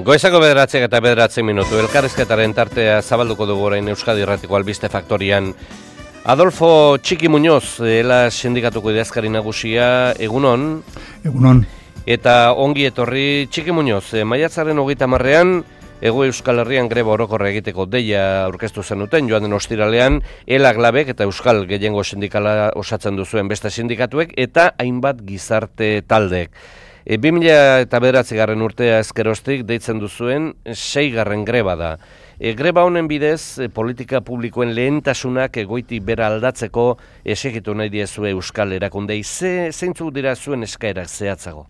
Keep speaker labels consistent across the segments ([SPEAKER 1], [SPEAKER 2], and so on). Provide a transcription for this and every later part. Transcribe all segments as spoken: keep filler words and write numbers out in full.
[SPEAKER 1] Goizako bederatziak eta bederatzi minutu, elkarrizketaren tartea zabalduko dugu orain Euskadi Irratiko Albiste Faktorian. Adolfo Txiki Muñoz, ela sindikatuko idazkari nagusia, egunon.
[SPEAKER 2] Egunon.
[SPEAKER 1] Eta ongi etorri Txiki Muñoz, maiatzaren hogeita hamarrean, Hego Euskal Herrian greba orokorra egiteko deia aurkeztu zenuten, joan den ostiralean, elak labek eta Euskal Gehiengo Sindikala osatzen duzuen beste sindikatuek, eta hainbat gizarte taldek. E, bi mila eta bederatzigarren urtea ezkeroztik deitzen duzuen seigarren greba da. E, greba honen bidez, e, politika publikoen lehentasunak egoiti bera aldatzeko esegitu nahi diezue Euskal erakundei. Ze, zeintzu dira zuen eskaerak zehatzago?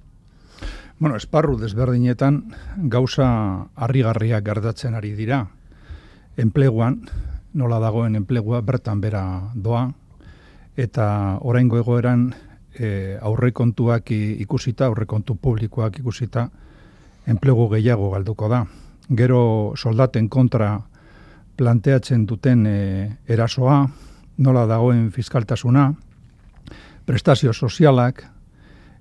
[SPEAKER 2] Bueno, esparru desberdinetan gauza harrigarriak gertatzen ari dira. Enpleguan, nola dagoen enplegua bertan bera doa, eta oraingo egoeran e, aurrekontuak ikusita, aurrekontu publikoak ikusita, enplegu gehiago galduko da. Gero soldaten kontra planteatzen duten e, erasoa, nola dagoen fiskaltasuna, prestazio sozialak,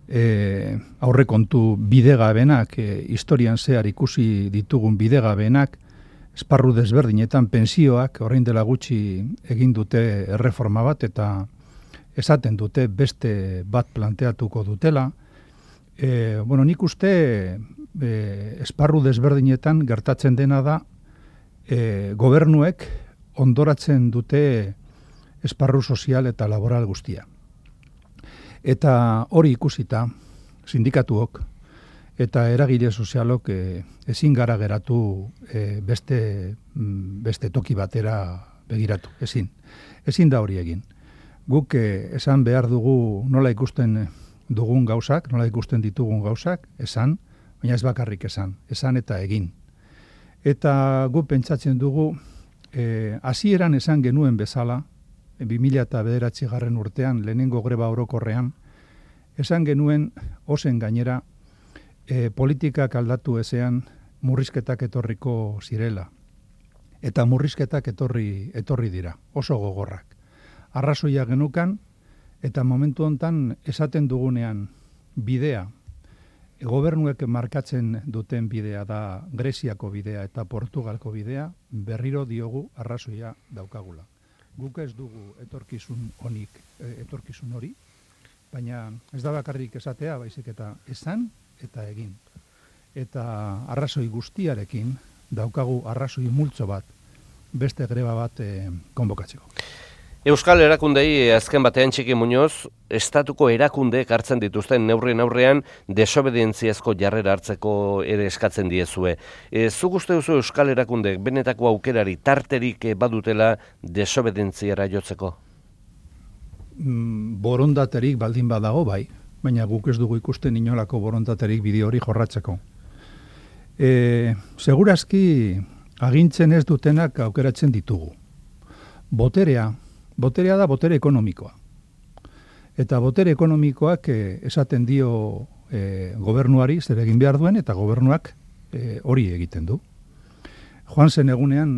[SPEAKER 2] E, aurrekontu bidegabenak, e, historian zehar ikusi ditugun bidegabenak, esparru desberdinetan pensioak, orain dela gutxi egin dute erreforma bat, eta esaten dute beste bat planteatuko dutela. E, bueno, nik uste e, esparru desberdinetan gertatzen dena da, e, gobernuek ondoratzen dute esparru sozial eta laboral guztia. Eta hori ikusita, sindikatuok eta eragile sozialok e, ezin gara geratu e, beste, beste toki batera begiratu, ezin. Ezin da hori egin. Guk e, esan behar dugu nola ikusten dugun gauzak, nola ikusten ditugun gauzak, esan, baina ez bakarrik esan, esan eta egin. Eta guk pentsatzen dugu, e, hasieran esan genuen bezala, bi mila eta bederatzigarren urtean, lehenengo greba orokorrean, esan genuen ozen gainera e, politikak aldatu ezean murrizketak etorriko zirela. Eta murrizketak etorri, etorri dira, oso gogorrak. Arrazoia genukan, eta momentu hontan esaten dugunean bidea, gobernuek markatzen duten bidea da Greziako bidea eta Portugalko bidea, berriro diogu arrazoia daukagula. Guk ez dugu etorkizun honik, etorkizun hori, baina ez da bakarrik esatea, baizik eta esan eta egin. Eta arrazoi guztiarekin daukagu arrazoi multzo bat, beste greba bat e, konbokatzeko.
[SPEAKER 1] Euskal erakundei azken batean Txiki Muñoz, estatuko erakundeek hartzen dituzten neurrien aurrean desobedientziazko jarrera hartzeko ere eskatzen diezue. E, zuk uste duzu Euskal erakundeek benetako aukerari tarterik badutela desobedientziara jotzeko?
[SPEAKER 2] Mm, borondaterik baldin badago bai, baina guk ez dugu ikusten inolako borondaterik bideo hori jorratzeko. E, segurazki agintzen ez dutenak aukeratzen ditugu. Boterea, Boterea da botere ekonomikoa. Eta botere ekonomikoak e, esaten dio e, gobernuari zer egin behar duen, eta gobernuak e, hori egiten du. Joan zen egunean,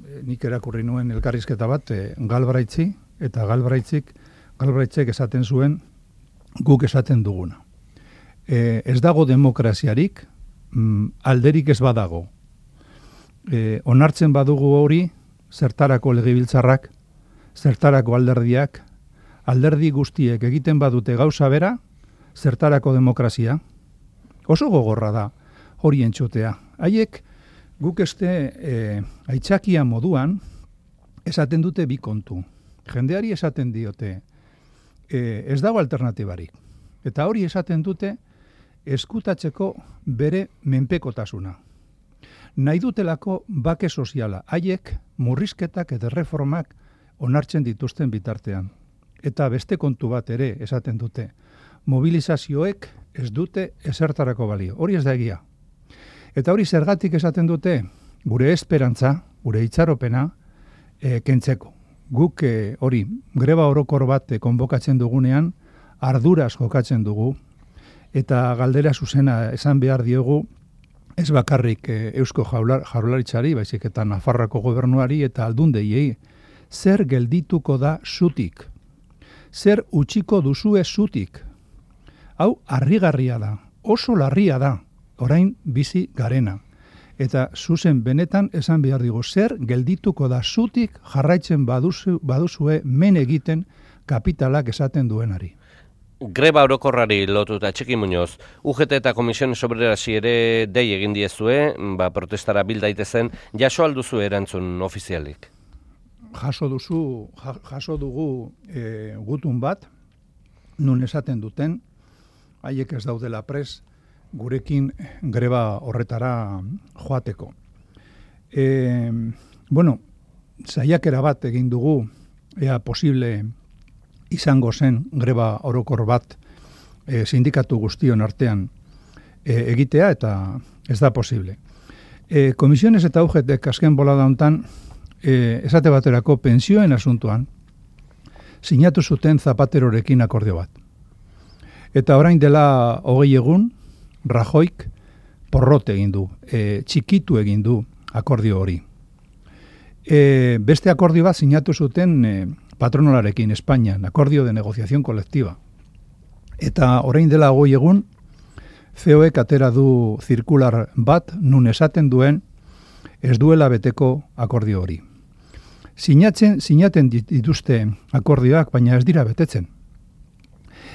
[SPEAKER 2] e, nik erakurri nuen elkarrizketa bat, e, Galbraitzi, eta Galbraitzik, Galbraitzek esaten zuen, guk esaten duguna. E, ez dago demokraziarik, mm, alderik ez badago. E, onartzen badugu hori, zertarako legebiltzarrak, zertarako alderdiak, alderdi guztiek egiten badute gauza bera, zertarako demokrazia. Oso gogorra da hori entzutea. Haiek guk este e, aitzakia moduan esaten dute bi kontu. Jendeari esaten diote e, ez dago alternatibarik. Eta hori esaten dute eskutatzeko bere menpekotasuna. Nahi dutelako bake soziala. Haiek murrizketak eta reformak onartzen dituzten bitartean. Eta beste kontu bat ere esaten dute. Mobilizazioek ez dute ezertarako balio. Hori ez da egia. Eta hori zergatik esaten dute gure esperantza, gure itxaropena e, kentzeko. Guk e, hori greba orokor bat e, konbokatzen dugunean arduraz jokatzen dugu eta galdera zuzena esan behar diogu ez bakarrik e, Eusko Jaurlaritzari, baizik eta Nafarroako gobernuari eta aldundeiei. Zer geldituko da zutik? Zer utziko duzue zutik? Hau harrigarria da, oso larria da, orain bizi garena. eta zuzen benetan esan behar digu, zer geldituko da zutik jarraitzen baduzu, baduzue men egiten kapitalak esaten duenari.
[SPEAKER 1] Greba orokorrari lotuta Txiki Muñoz, U G T eta Komisiones Obrerasi ere dei egin diezue, ba, protestara bil daitezen, jaso alduzu erantzun ofizialik?
[SPEAKER 2] Jaso duzu, jaso dugu e, gutun bat, nun esaten duten, haiek ez daudela pres, gurekin greba horretara joateko. E, bueno, saiakera bat egin dugu, ea posible izango zen greba orokor bat e, sindikatu guztion artean e, egitea, eta ez da posible. E, Komisiones eta U G T azken bolada hontan, e, esate baterako pentsioen asuntuan, sinatu zuten Zapaterorekin akordio bat. Eta orain dela hogei egun, Rajoik porrot egin du, e, txikitu egin du akordio hori. E, beste akordio bat sinatu zuten e, patronalarekin Espainian, akordio de negociación colectiva. Eta orain dela hogei egun, C O Ek atera du zirkular bat nun esaten duen ez duela beteko akordio hori. Sinatzen, sinaten dituzte akordioak, baina ez dira betetzen.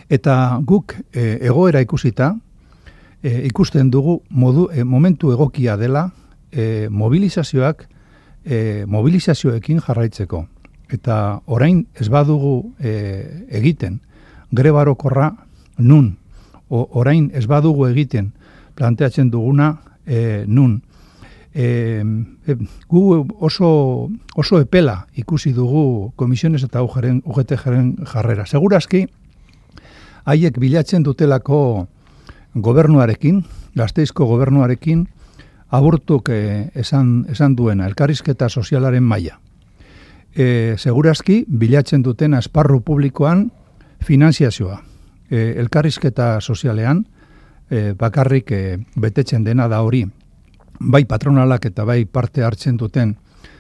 [SPEAKER 2] Eta guk e, egoera ikusita, e, ikusten dugu modu, e, momentu egokia dela e, mobilizazioak e, mobilizazioekin jarraitzeko. Eta orain ez badugu e, egiten greba orokorra nun, o, orain ez badugu egiten planteatzen duguna e, nun. E, e, gu oso, oso epela ikusi dugu Komisiones eta U G T-jaren jarrera. Segurazki, haiek bilatzen dutelako gobernuarekin, Gasteizko gobernuarekin, aburtuk e, esan, esan duena, elkarrizketa sozialaren maila. E, segurazki, bilatzen duten esparru publikoan finanziazioa. E, elkarrizketa sozialean, e, bakarrik e, betetzen dena da hori, bai patronalak eta bai parte hartzen duten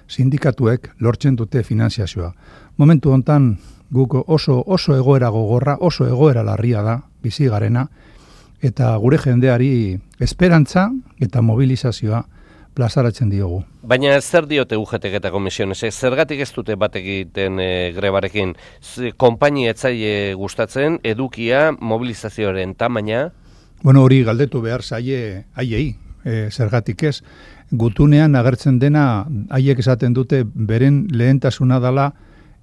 [SPEAKER 2] sindikatuek lortzen dute finanziazioa. Momentu hontan guk oso, oso egoera gogorra, oso egoera larria da, bizi garena, eta gure jendeari esperantza eta mobilizazioa plazaratzen diogu.
[SPEAKER 1] Baina zer diote U G T eta Komisiones? Zergatik ez dute bat egiten e, grebarekin? Konpainia etzaile gustatzen, edukia, mobilizazioaren tamaina?
[SPEAKER 2] Bueno, hori galdetu behar zaie haiei, e, zergatik ez. Gutunean agertzen dena, haiek esaten dute beren lehentasuna dela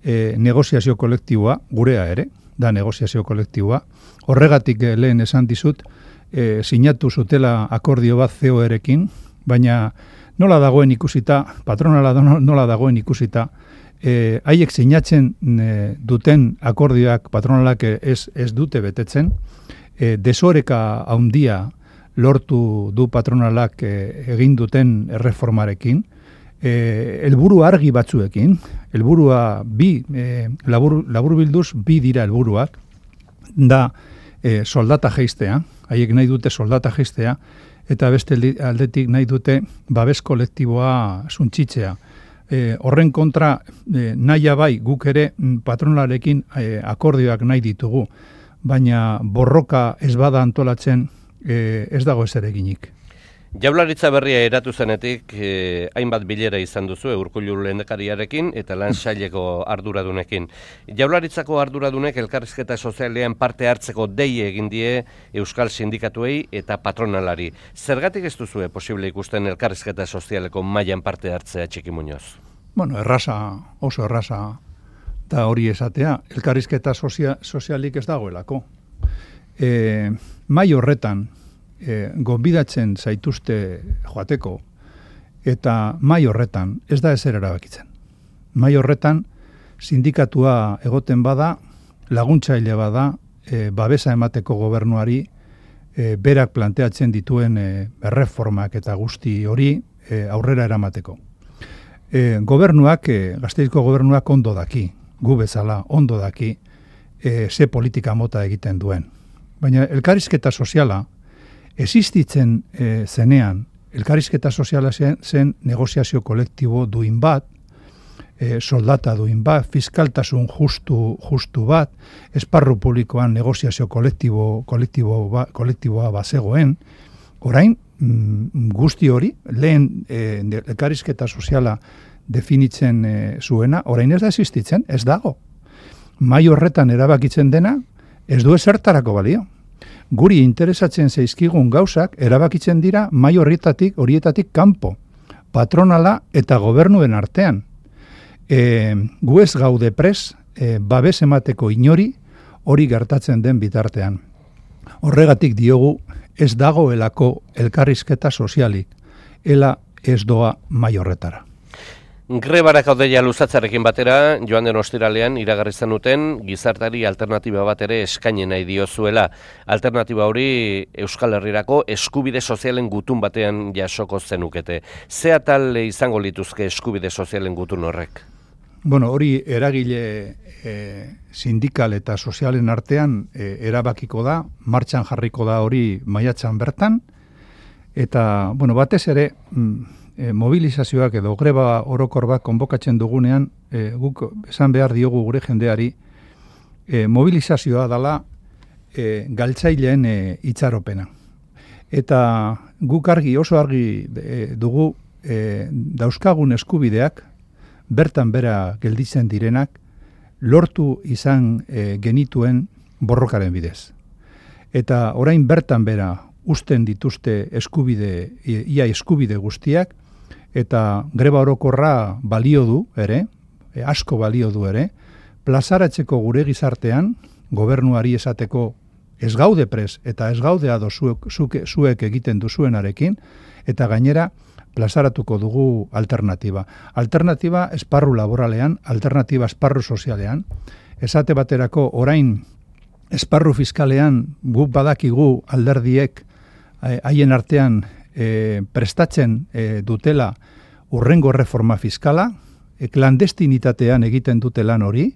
[SPEAKER 2] e, negoziazio kolektiboa, gurea ere, da negoziazio kolektiboa. Horregatik e, lehen esan dizut, e, sinatu zutela akordio bat C O erekin, baina nola dagoen ikusita, patronala nola dagoen ikusita, e, haiek sinatzen e, duten akordioak patronalak ez, ez dute betetzen, e, desoreka handia lortu du patronalak e, egin duten erreformarekin, e, helburu argi batzuekin, helburua bi, e, labur, labur bilduz bi dira helburuak, da e, soldata jeistea, haiek nahi dute soldata jeistea, eta beste aldetik nahi dute babes kolektiboa suntsitzea. E, horren kontra e, nahia bai guk ere patronalarekin e, akordioak nahi ditugu, baina borroka ez bada antolatzen e, ez dago ezer eginik.
[SPEAKER 1] Jaurlaritza berria eratu zenetik, eh, hainbat bilera izan duzu Urkullu lehendakariarekin eta lan saileko arduradunekin. Jaurlaritzako arduradunek elkarrizketa sozialean parte hartzeko dei egin die euskal sindikatuei eta patronalari. Zergatik ez duzue posible ikusten elkarrizketa sozialeko mailan parte hartzea, Txiki Muñoz?
[SPEAKER 2] Bueno, erraza, oso erraza da hori esatea. Elkarrizketa sozia, sozialik ez dagoelako. E, mai horretan, E, gonbidatzen zaituzte joateko, eta mai horretan ez da ezer erabakitzen. Mai horretan sindikatua egoten bada, laguntzaile bada, e, babesa emateko gobernuari e, berak planteatzen dituen e, erreformak eta guzti hori e, aurrera eramateko. E, gobernuak, e, Gasteizko gobernuak ondo daki, gu bezala ondo daki, e, ze politika mota egiten duen. Baina elkarrizketa soziala existitzen e, zenean, elkarrizketa soziala zen, zen negoziazio kolektibo duin bat, e, soldata duin bat, fiskaltasun justu, justu bat, esparru publikoan negoziazio kolektibo, kolektibo ba, kolektiboa bazegoen, orain mm, guzti hori, lehen e, elkarrizketa soziala definitzen e, zuena, orain ez da existitzen, ez dago. Mai horretan erabakitzen dena, ez du ezertarako balio. Guri interesatzen zaizkigun gauzak erabakitzen dira mai horietatik, horietatik kanpo, patronala eta gobernuen artean. E, gu ez gaude pres, e, babes emateko inori hori gertatzen den bitartean. Horregatik diogu ez dagoelako elkarrizketa sozialik, ela ez doa mai horretara.
[SPEAKER 1] Grebarak haudeia luzatzarekin batera, joan den ostiralean iragarri zenuten gizartari alternatiba bat ere eskaini nahi diozuela. Alternatiba hori Euskal Herrirako eskubide sozialen gutun batean jasoko zenukete. Ze atal izango lituzke eskubide sozialen gutun horrek?
[SPEAKER 2] Bueno, hori eragile e, sindikal eta sozialen artean e, erabakiko da, martxan jarriko da hori maiatzan bertan, eta, bueno, batez ere, mm, E, mobilizazioak edo greba orokor bat konbokatzen dugunean, e, guk esan behar diogu gure jendeari, e, mobilizazioa dela e, galtzaileen e, itxaropena. Eta guk argi, oso argi e, dugu e, dauzkagun eskubideak, bertan bera gelditzen direnak, lortu izan e, genituen borrokaren bidez. Eta orain bertan bera usten dituzte eskubide, ia eskubide guztiak, eta greba orokorra balio du ere, e, asko balio du ere, plazaratzeko gure gizartean, gobernuari esateko ez gaude pres eta ez gaude ado zuek, zuke, zuek egiten duzuenarekin, eta gainera plazaratuko dugu alternatiba. Alternatiba esparru laboralean, alternatiba esparru sozialean, esate baterako orain esparru fiskalean guk badakigu alderdiek haien artean e, prestatzen e, dutela urrengo reforma fiskala, e, klandestinitatean egiten dute lan hori,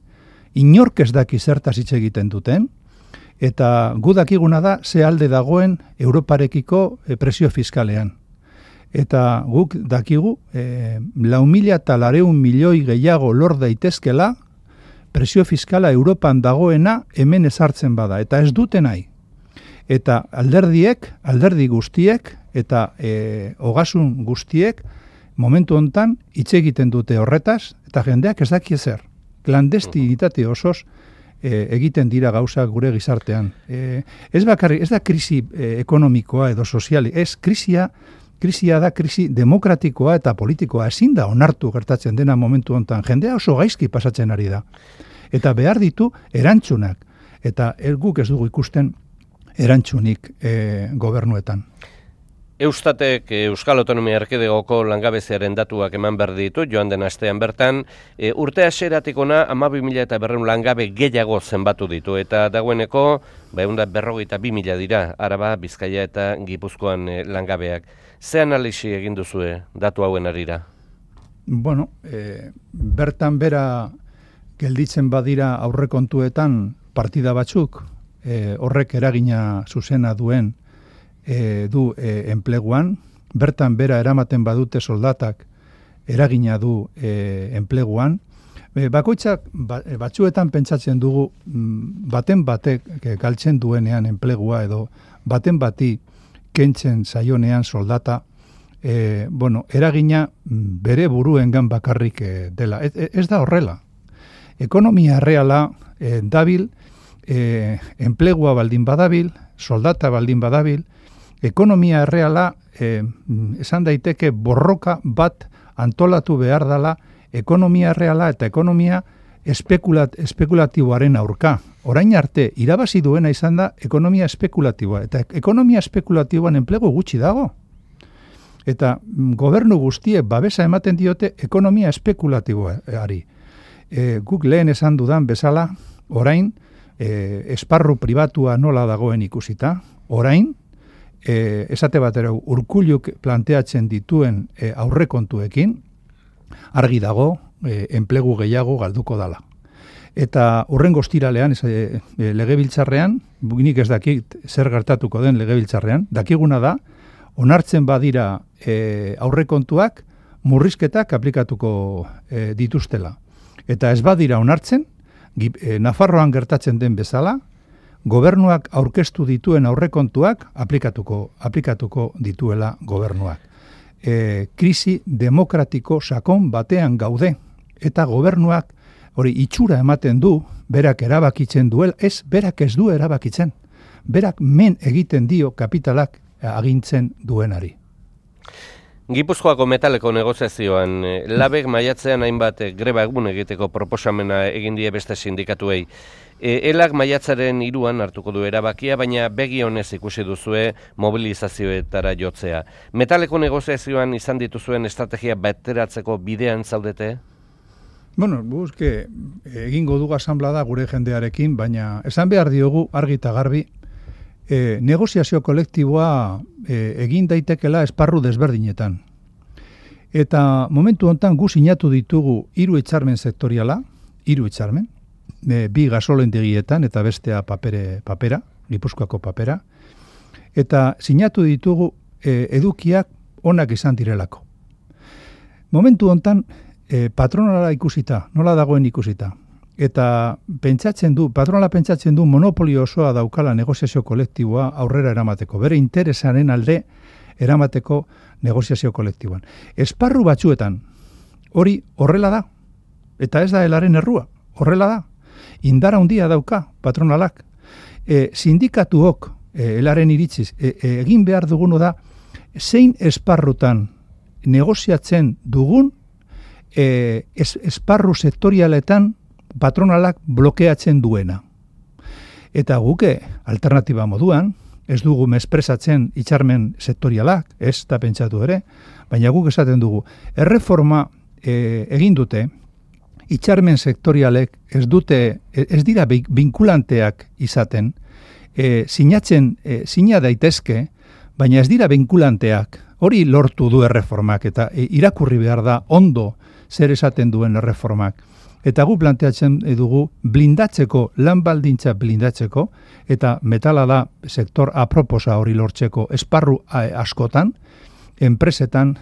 [SPEAKER 2] inork ez daki zertaz hitz egiten duten, eta gu dakiguna da ze alde dagoen Europarekiko e, presio fiskalean. Eta guk dakigu e, lau mila eta lareun milioi gehiago lor daitezkela presio fiskala Europan dagoena hemen ezartzen bada, eta ez dute nahi. Eta alderdiek, alderdi guztiek, eta e, ogasun guztiek, momentu hontan hitz egiten dute horretaz, eta jendeak ez daki ezer. Klandestinitate osoz e, egiten dira gauzak gure gizartean. E, ez bakarrik, ez da krisi e, ekonomikoa edo soziali, ez krisia, krisia da krisi demokratikoa eta politikoa, ezin da onartu gertatzen dena momentu hontan. Jendea oso gaizki pasatzen ari da. Eta behar ditu erantzunak. Eta guk ez dugu ikusten erantzunik e, gobernuetan.
[SPEAKER 1] Eustatek Euskal Autonomia Erkidegoko langabeziaren datuak eman behar ditu, joan den astean bertan, e, urte hasieratik hona hamabi mila eta berrehun langabe gehiago zenbatu ditu, eta dagoeneko behunda berrogeita bi mila dira, Araba, Bizkaia eta Gipuzkoan e, langabeak. Ze analisi egin duzue datu hauen arira?
[SPEAKER 2] Bueno, e, bertan bera gelditzen badira aurrekontuetan partida batzuk, e, horrek eragina zuzena duen E, du e, enpleguan, bertan bera eramaten badute soldatak eragina du e, enpleguan. E, bakoitzak ba, batzuetan pentsatzen dugu baten batek galtzen duenean enplegua edo baten bati kentzen zaionean soldata, e, bueno, eragina bere buruengan bakarrik e, dela. Ez, ez da horrela. Ekonomia erreala e, dabil, e, enplegua baldin badabil, soldata baldin badabil, ekonomia erreala eh, esan daiteke borroka bat antolatu behar dela ekonomia erreala eta ekonomia espekulat, espekulatiboaren aurka. Orain arte, irabazi duena izan da ekonomia espekulatiboa. Eta ekonomia espekulatiboan enplegu gutxi dago. Eta gobernu guztiek babesa ematen diote ekonomia espekulatiboari. E, guk lehen esan dudan bezala, orain, e, esparru pribatua nola dagoen ikusita, orain, E, esate batera Urkulluk planteatzen dituen e, aurrekontuekin argi dago e, enplegu gehiago galduko dala. Eta horrengo ostiralean e, e, legebiltzarrean, nik ez dakit zer gertatuko den legebiltzarrean, dakiguna da, onartzen badira e, aurrekontuak murrizketak aplikatuko e, dituztela. Eta ez badira onartzen, e, Nafarroan gertatzen den bezala, gobernuak aurkeztu dituen aurrekontuak aplikatuko, aplikatuko dituela gobernuak. E, krisi demokratiko sakon batean gaude, eta gobernuak hori itxura ematen du, berak erabakitzen duel, ez, berak ez du erabakitzen. Berak men egiten dio kapitalak agintzen duenari.
[SPEAKER 1] Gipuzkoako metaleko negoziazioan, labek maiatzean hainbat greba egun egiteko proposamena egin die beste sindikatuei. Elak maiatzaren hiruan hartuko du erabakia, baina begi honez ikusi duzue mobilizazioetara jotzea. Metaleko negoziazioan izan dituzuen estrategia bateratzeko bidean zaudete?
[SPEAKER 2] Bueno, guzke, egingo dugu asanblada gure jendearekin, baina esan behar diogu argi eta garbi, E, negoziazio kolektiboa e, egin daitekela esparru desberdinetan. Eta momentu hontan gu sinatu ditugu hiru hitzarmen sektoriala, hiru hitzarmen, e, bi gasolendegietan eta bestea papere, papera, Gipuzkoako papera, eta sinatu ditugu e, edukiak onak izan direlako. Momentu hontan e, patronala ikusita, nola dagoen ikusita, eta pentsatzen du, patronala pentsatzen du monopolio osoa daukala negoziazio kolektiboa aurrera eramateko, bere interesaren alde eramateko negoziazio kolektiboan. Esparru batzuetan, hori horrela da, eta ez da helaren errua, horrela da. Indara handia dauka patronalak. E, sindikatuok, e, helaren iritziz, e, e, egin behar dugunu da, zein esparrutan negoziatzen dugun e, es, esparru sektorialetan patronalak blokeatzen duena. Eta guke alternatiba moduan, ez dugu mespresatzen hitzarmen sektorialak, ez da pentsatu ere, baina guk esaten dugu, erreforma e, egin dute, hitzarmen sektorialek ez dute, ez dira binkulanteak izaten, e, sinatzen, e, sina daitezke, baina ez dira binkulanteak, hori lortu du erreformak, eta e, irakurri behar da ondo zer esaten duen erreformak. Eta gu planteatzen dugu blindatzeko, lan baldintza blindatzeko, eta metala da sektor aproposa hori lortzeko esparru askotan, enpresetan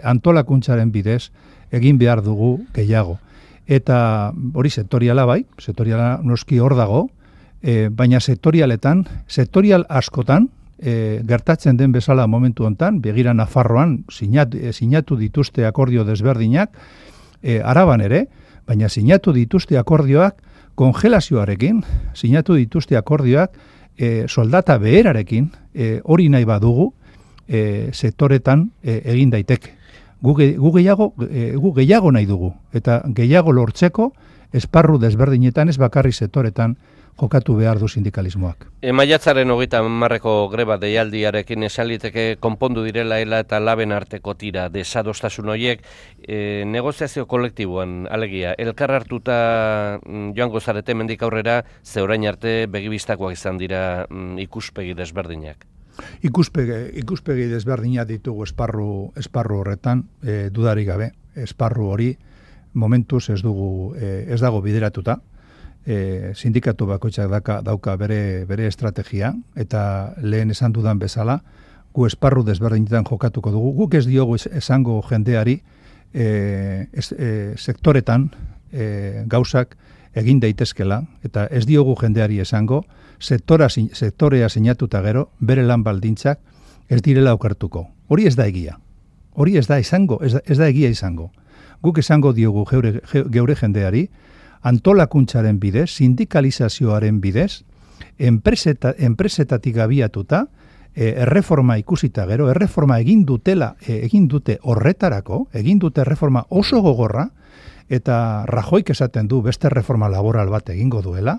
[SPEAKER 2] antolakuntzaren bidez egin behar dugu gehiago. Eta hori sektoriala bai, sektoriala noski hor dago, e, baina sektorialetan, sektorial askotan, e, gertatzen den bezala momentu hontan, begira Nafarroan sinatu, sinatu dituzte akordio desberdinak, e, Araban ere, baina sinatu dituzte akordioak kongelazioarekin, sinatu dituzte akordioak e, soldata beherarekin, e, hori nahi badugu, e, sektoretan e, egin daiteke. Gu, gu, gehiago, e, gu gehiago nahi dugu, eta gehiago lortzeko esparru desberdinetan ez bakarri sektoretan jokatu behar du sindikalismoak.
[SPEAKER 1] E, maiatzaren hogeita hamarreko greba deialdiarekin esaliteke konpondu direla ela eta laben arteko tira desadostasun horiek e, negoziazio kolektiboan alegia. Elkar hartuta mm, joango zarete mendik aurrera ze orain arte begibistakoak izan dira mm, ikuspegi desberdinak.
[SPEAKER 2] Ikuspegi, ikuspegi desberdinak ditugu esparru, esparru horretan, e, dudarik gabe. Esparru hori momentuz ez dugu, e, ez dago bideratuta. E, sindikatu bakoitzak dauka, dauka bere, bere estrategia, eta lehen esan dudan bezala, gu esparru desberdinetan jokatuko dugu. Guk ez diogu esango jendeari e, ez, e, sektoretan e, gauzak egin daitezkela, eta ez diogu jendeari esango, sektora, sektorea sinatuta gero, bere lan baldintzak ez direla okertuko. Hori ez da egia. Hori ez da izango, ez da, ez da egia izango. Guk esango diogu geure, geure jendeari, antolakuntzaren bidez, sindikalizazioaren bidez, enpreseta, enpresetatik abiatuta, e, erreforma ikusita gero, erreforma egin dutela, e, egin dute horretarako, egin dute erreforma oso gogorra, eta Rajoik esaten du beste erreforma laboral bat egingo duela,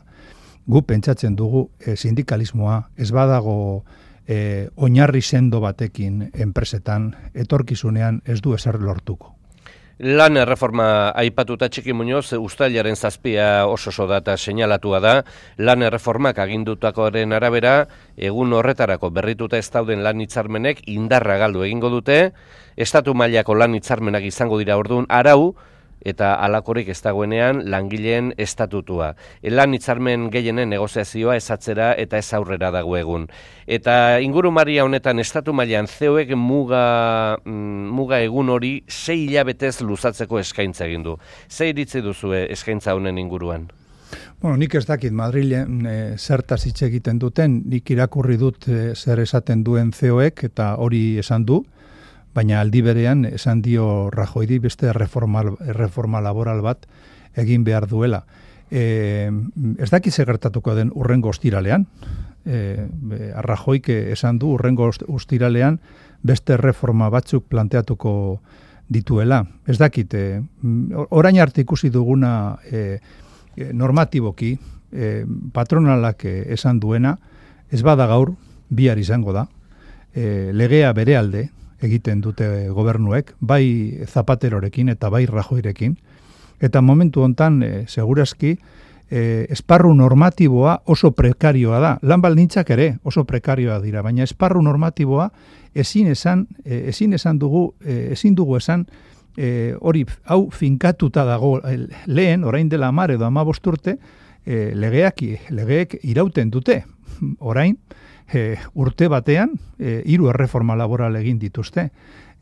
[SPEAKER 2] gu pentsatzen dugu e, sindikalismoa ez badago e, oinarri sendo batekin enpresetan, etorkizunean ez du ezer lortuko.
[SPEAKER 1] Lan erreforma aipatuta Txiki Muñoz, uztailaren zazpia oso oso data seinalatua da, lan erreformak agindutakoaren arabera, egun horretarako berrituta ez dauden lan hitzarmenek indarra galdu egingo dute, estatu mailako lan hitzarmenak izango dira orduan arau, eta halakorik ez dagoenean langileen estatutua. Lan hitzarmen gehienen negoziazioa ez atzera eta ez aurrera dago egun. Eta ingurumaria honetan estatu mailan C E Oek muga, muga egun hori sei hilabetez luzatzeko eskaintza egin du. Ze iritzi duzue eskaintza honen inguruan?
[SPEAKER 2] Bueno, nik ez dakit Madrilen e, zertaz hitz egiten duten, nik irakurri dut e, zer esaten duen C E Oek eta hori esan du, baina aldi berean esan dio Rajoyri beste reforma, reforma laboral bat egin behar duela. E, ez dakit zer gertatuko den urrengo ostiralean, e, Rajoyk esan du urrengo ostiralean beste reforma batzuk planteatuko dituela. Ez dakit, e, orain arte ikusi duguna e, normatiboki, e, patronalak esan duena, ez bada gaur, bihar izango da, e, legea bere alde egiten dute gobernuek, bai Zapaterorekin eta bai Rajoyrekin, eta momentu hontan, e, segurazki, e, esparru normatiboa oso prekarioa da, lan baldintzak ere oso prekarioa dira, baina esparru normatiboa ezin esan, e, ezin esan dugu, e, ezin dugu esan, E, hori hau finkatuta dago e, lehen, orain dela hamar edo hamabost urte, e, legeak, legeek irauten dute. Orain, e, urte batean, e, hiru erreforma laboral egin dituzte.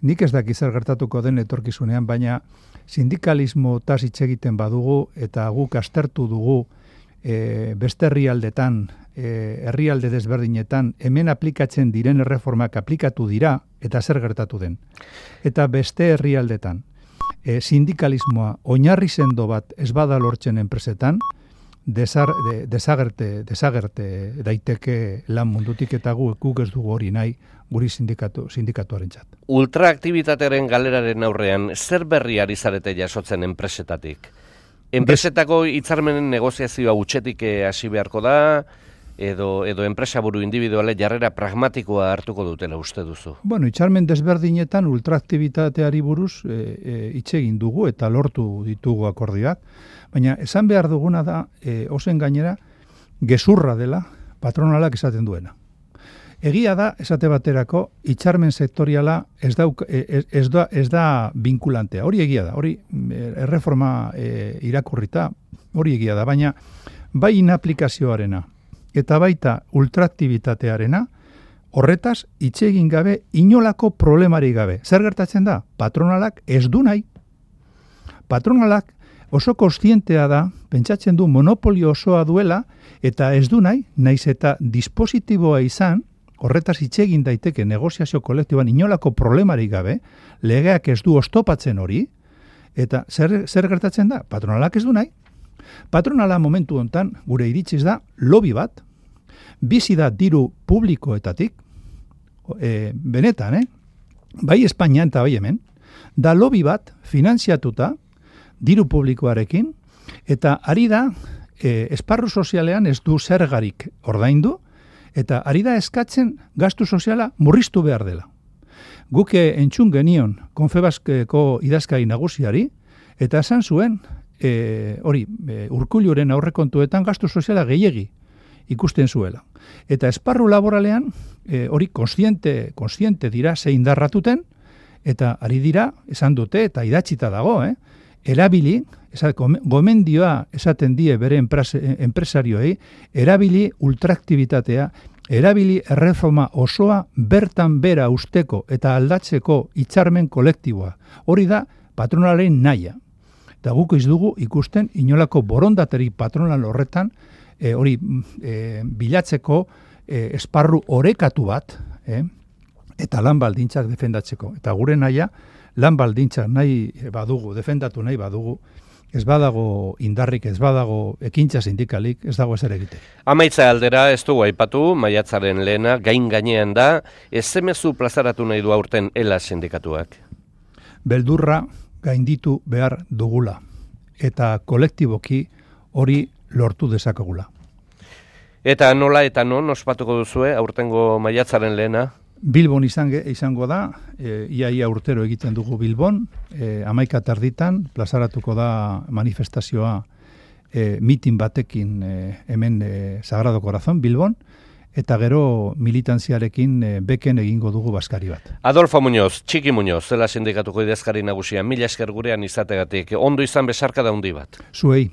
[SPEAKER 2] Nik ez daki zer gertatuko den etorkizunean, baina sindikalismo hitz egiten badugu eta guk aztertu dugu e, beste herrialdetan, e, herrialde desberdinetan, hemen aplikatzen diren erreformak aplikatu dira, eta zer gertatu den. Eta beste herrialdetan, e, sindikalismoa oinarri sendo bat ez bada lortzen enpresetan, desar, de, desagerte, desagerte daiteke lan mundutik eta guk, guk ez dugu hori nahi guri sindikatu, sindikatuaren txat.
[SPEAKER 1] Ultraaktibitatearen galeraren aurrean, zer berri ari zarete jasotzen enpresetatik? Enpresetako hitzarmenen negoziazioa utxetik hasi beharko da, edo edo enpresaburu individuale jarrera pragmatikoa hartuko dutela uste duzu?
[SPEAKER 2] Bueno, hitzarmen desberdinetan ultraaktibitateari buruz e, e, hitz egin dugu eta lortu ditugu akordioak, baina esan behar duguna da, e, ozen gainera, gezurra dela patronalak esaten duena. Egia da, esate baterako, hitzarmen sektoriala ez da, ez, ez da, ez da vinkulantea. Hori egia da, hori erreforma e, irakurrita, hori egia da, baina bai inaplikazioarena, eta baita ultraaktibitatearena, horretaz hitz egin gabe, inolako problemari gabe. Zer gertatzen da? Patronalak ez du nahi. Patronalak oso kontzientea da, pentsatzen du monopolio osoa duela, eta ez du nahi, naiz eta dispositiboa izan, horretaz hitz egin daiteke negoziazio kolektiboan inolako problemari gabe, legeak ez du oztopatzen hori, eta zer, zer gertatzen da? Patronalak ez du nahi. Patronala momentu hontan gure iritziz da lobby bat, bizi da diru publikoetatik, e, benetan, eh? bai Espainian eta bai hemen, da lobby bat finanziatuta diru publikoarekin, eta ari da e, esparru sozialean ez du zergarik ordaindu, eta ari da eskatzen gastu soziala murriztu behar dela. Guke entzun genion Konfebaskeko idazkari nagusiari, eta esan zuen, E, hori, e, Urkulluren aurrekontuetan gastu soziala gehiegi ikusten zuela. Eta esparru laboralean, e, hori kontziente, kontziente dira zein darratuten, eta ari dira, esan dute, eta idatzita dago, eh? erabili, esat, gomendioa esaten die bere enpresarioei, erabili ultraaktibitatea, erabili erreforma osoa bertan bera usteko eta aldatzeko hitzarmen kolektiboa. Hori da patronalen nahia. Eta guk ez dugu ikusten inolako borondateri patronal horretan e, hori e, bilatzeko e, esparru orekatu bat e, eta lan baldintzak defendatzeko. Eta gure nahia lan baldintzak nahi badugu, defendatu nahi badugu, ez badago indarrik, ez badago ekintza sindikalik, ez dago ezer egite.
[SPEAKER 1] Amaitza aldera ez dugu aipatu, maiatzaren lehena, gain gainean da, ez zemezu plazaratu nahi du aurten ela sindikatuak?
[SPEAKER 2] Beldurra gainditu behar dugula, eta kolektiboki hori lortu dezakegula.
[SPEAKER 1] Eta nola eta non ospatuko duzue aurtengo maiatzaren lehena?
[SPEAKER 2] Bilbon izan, izango da, e, iaia urtero egiten dugu Bilbon, e, hamaika tarditan, plazaratuko da manifestazioa e, mitin batekin e, hemen e, Sagrado Corazon Bilbon, eta gero militantziarekin e, beken egingo dugu baskari bat.
[SPEAKER 1] Adolfo Muñoz, Txiki Muñoz, zela sindikatuko idazkari nagusia, mila esker gurean izategatik, ondo izan besarka da handi bat.
[SPEAKER 2] Zuei.